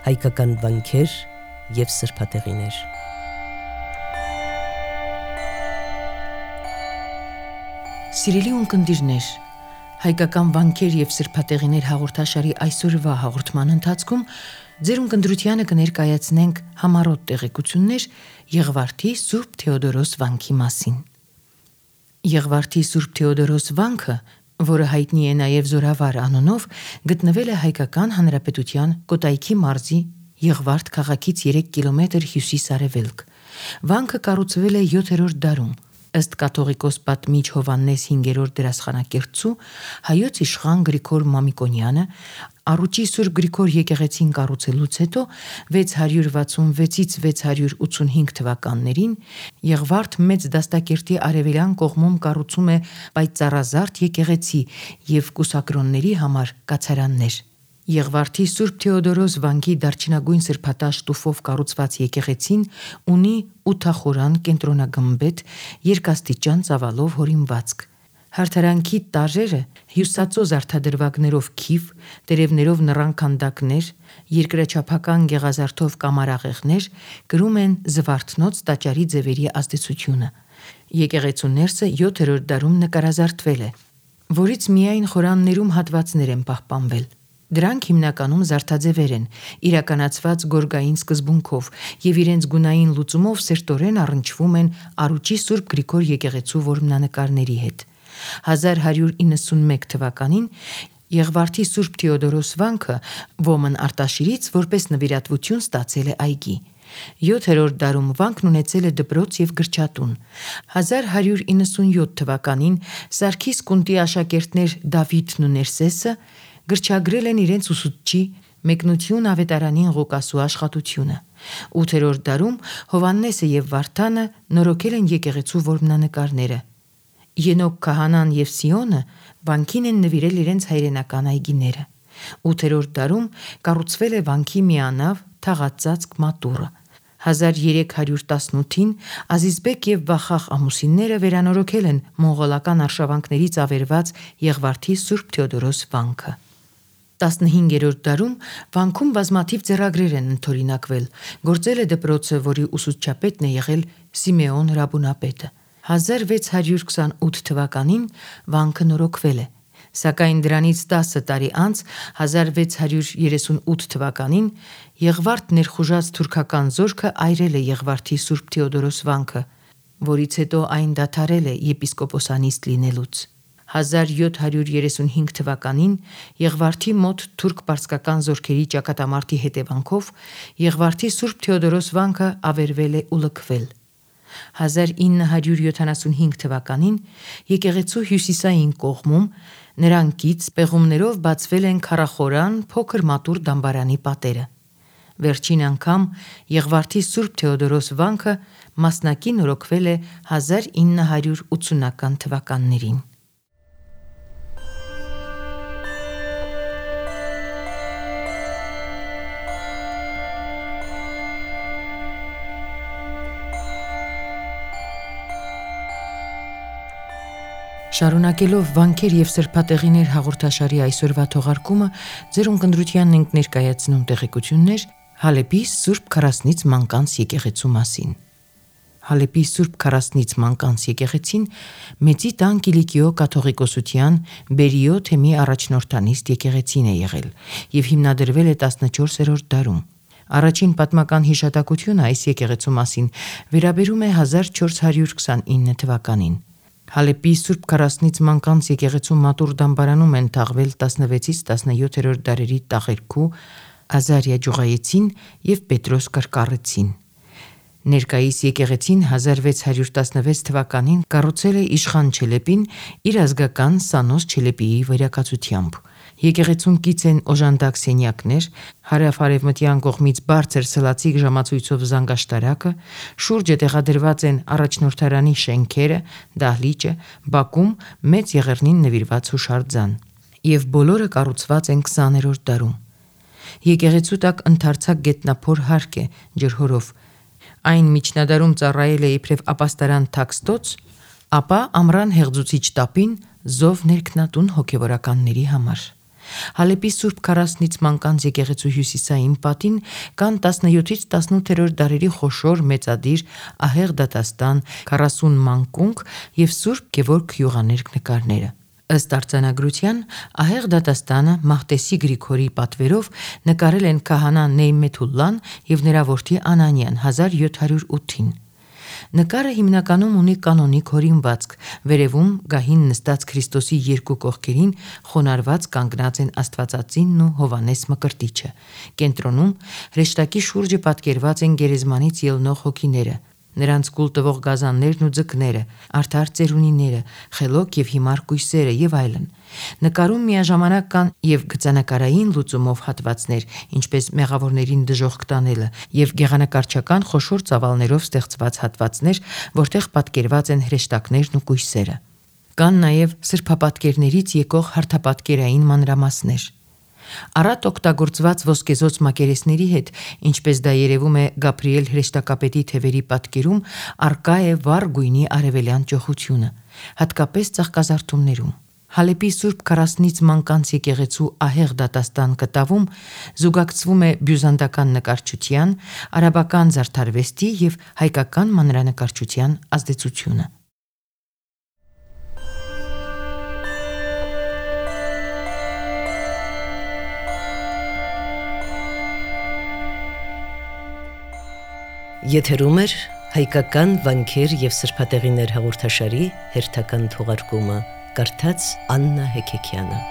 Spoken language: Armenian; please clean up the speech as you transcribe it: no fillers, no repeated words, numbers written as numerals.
հայկական վանքեր և սրբատեղիներ։ Սիրելի ունկնդիրներ, հայկական վանքեր և սրբատեղիներ հաղորդաշարի այսօրվա հաղորդման ընթացքում ձեր ունկնդրությանը կներկայացնենք համառոտ տեղեկություններ Եղվարդի Սուրբ Թեոդորոս վանքի մասին։ Եղվարդի Սուրբ Թեոդորոս վանքը, որը հայտնի է նաև Զորավար անունով, գտնվել է Հայկական Հանրապետության Կոտայքի մարզի Եղվարդ քաղաքից 3 կիլոմետր հյուսիս-արևելք։ Վանքը կառուցվել է 7-րդ դարում, ըստ կաթողիկոս պատմիչ Հովհաննես 5-րդ դերասխանակերտցու հայոց իշխան Գրիգոր Մամիկոնյանը Առուճի Սուրբ Գրիգոր եկեղեցին կառուցելուց հետո 666-ից 685 թվականներին Եղվարդ մեծ դաստակերտի արևելյան կողմում կառուցում է պայծառազարդ եկեղեցի և կուսակրոնների համար կացարաններ։ Եղվարդի Սուրբ Թեոդորոս վանքի դարչինագույն սրբատաշ տուֆով կառուցված եկեղեցին ունի ութախորան կենտրոնագմբեթ երկաստիճան ծավալով հորինվածք։ Հարդարանքի տարրերը հյուսածո զարդադրվագներով քիվ, տերևներով նռան քանդակներ, երկրաչափական գեղազարդով կամարաղեղներ կրում են Զվարթնոց տաճարի ձևերի ազդեցությունը։ Եկեղեցու ներսը 7-րդ դարում նկարազարդվել է, որից միայն խորաններում հատվածներ են պահպանվել։ Դրանք հիմնականում զարդաձևեր են, իրականացված գորգային սկզբունքով և իրենց գունային լուծումով սերտորեն առնչվում են Առուճի Սուրբ Գրիգոր եկեղեցու որմնանկարների հետ։ 1191 թվականին Եղվարդի Սուրբ Թեոդորոս վանքը Ոմն Արտաշիրից որպես նվիրատվություն ստացել է այգի։ 7-րդ դարում վանքն ունեցել է դպրոց և գրչատուն։ 1197 թվականին Սարգիս կունտի աշակերտներ Դավիթն ու Ներսեսը գրչագրել են իրենց ուսուցչի Մեկնություն ավետարանին Ղուկասու աշխատությունը։ 8-րդ դարում Հովհաննեսը և Վարդանը նորոգել են եկեղեցու որմնանկարները։ Ենոք քահանան և Սիոնը վանքին են նվիրել իրենց հայրենական այգիները։ 8-րդ դարում կառուցվել է վանքի միանավ թաղածածկ մատուռը։ 1318-ին Ազիզբեկ և Վախախ ամուսինները վերանորոգել են մոնղոլական արշավանքներից ավերված Եղվարդի Սուրբ Թեոդորոս վանքը։ 15-րդ դարում վանքում բազմաթիվ ձեռագրեր են ընդօրինակվել։ Գործել է դպրոցը, որի ուսուցչապետն է եղել Սիմեոն Ռաբունապետը։ 1628 թվականին վանքը նորոգվել է, սակայն դրանից 10 տարի անց 1638 թվականին Եղվարդ ներխուժած թուրքական զորքը այրել է Եղվարդի Սուրբ Թեոդորոս վանքը, որից հետո այն դադարել է եպիսկոպոսանիստ լինելուց։ 1735 թվականին Եղվարդի մոտ թուրք-պարսկական զորքերի ճակատամարտի հետևանքով Եղվարդի Սուրբ Թեոդորոս վանքը ավերվել է ու լքվել։ 1975 թվականին եկեղեցու հյուսիսային կողմում նրան կից պեղումներով բացվել են քառախորան փոքր մատուռ դամբարանի պատերը։ Վերջին անգամ Եղվարդի Սուրբ Թեոդորոս վանքը մասնակի նորոգվել է 1980-ական թվականներին։ Շարունակելով վանքեր և սրբատեղիներ հաղորդաշարի այսօրվա թողարկումը ձեր ունկնդրությանն ենք ներկայացնում տեղեկություններ Հալեպի Սուրբ Քարասնից Մանկանց եկեղեցու մասին։ Հալեպի Սուրբ Քարասնից Մանկանց եկեղեցին Մեծի տան Կիլիկիո կաթողիկոսության Բերիո թեմի առաջնորդանիստ եկեղեցին է եղել և հիմնադրվել է 14-րդ դարում։ Առաջին պատմական հիշատակությունը այս եկեղեցու մասին վերաբերում է 1429 թվականին։ Հալեպի Սուրբ Քարասնից Մանկանց եկեղեցու մատուռ դամբարանում են թաղվել 16-ից 17-րդ դարերի Տաղերքու, Ազարիա Ջուղայեցին և Պետրոս Կրկառեցին։ Ներկայիս եկեղեցին 1616 թվականին կառուցել է իշխան Չելեպին իր ազգական Սանոս Չելեպիի վերակացությամբ։ Եկեղեցուն կից են օժանդակ սենյակներ, հարավ-արևմտյան կողմից բարձր սլացիկ ժամացույցով զանգաշտարակը, շուրջը տեղադրված են առաջնորդարանի շենքերը, դահլիճը, բակում մեծ եղեռնին նվիրված հուշարձան, և բոլորը կառուցված են 20-րդ դարում։ Եկեղեցու տակ ընդարձակ գետնափոր հարկ է ջրհորով։ Այն միջնադարում ծառայել է իբրև ապաստարան թաքստոց, ապա ամռան հեղձուցիչ տապին զով ներքնատուն հոգևորականների համար։ Հալեպի Սուրբ 40-ից մանկանց եկեղեցու հյուսիսային պատին կան 17-ից 18-րդ դարերի խոշոր մեծադիր ահեղ դատաստան, 40 մանկունք եւ Սուրբ Գևորգ Յուղաներկ նկարները։ Ըստ արձանագրության, ահեղ դատաստանը Մահտեսի Գրիգորի պատվերով նկարել են քահանա Նեյմեթուլլան եւ նրա որդի Անանյան 1708-ին։ Նկարը հիմնականում ունի կանոնիկ հորինվածք, վերևում գահին նստած Քրիստոսի երկու կողքերին խոնարհված կանգնած են Աստվածածինն ու Հովանես Մկրտիչը։ Կենտրոնում հրեշտակի շուրջը պատկերված են գերեզմանից ելնող հոգիները, նրանց կուլ տվող գազաններն ու ձկները, արդար ծերունիները, խելոք եւ հիմար կույսերը եւ այլն։ Նկարում միաժամանակ կան եւ գծանկարային լուծումով հատվածներ, ինչպես մեղավորներին դժոխք տանելը, եւ գեղանկարչական խոշոր ծավալներով ստեղծված հատվածներ, որտեղ պատկերված են հրեշտակներն ու կույսերը։ Կան նաեւ սրբապատկերներից եկող հարթապատկերային մանրամասներ։ Առատ օգտագործված ոսկեզոծ մակերեսների հետ, ինչպես դա երևում է Գաբրիել հրեշտակապետի թևերի պատկերում, արկա է վառ գույնի արևելյան ճոխությունը, հատկապես ծաղկազարդումներում։ Հալեպի Սուրբ 40-ից մանկանց եկեղեցու ահեղ դատաստան կտավում զուգակցվում է բյուզանդական նկարչության, արաբական զարդարվեստի եւ հայկական մանրանկարչության ազդեցությունը։ Եթերում է հայկական վանքեր եւ սրբատեղիներ հաղորդաշարի հերթական թողարկումը, կարդաց Աննա Հեքեքյանը։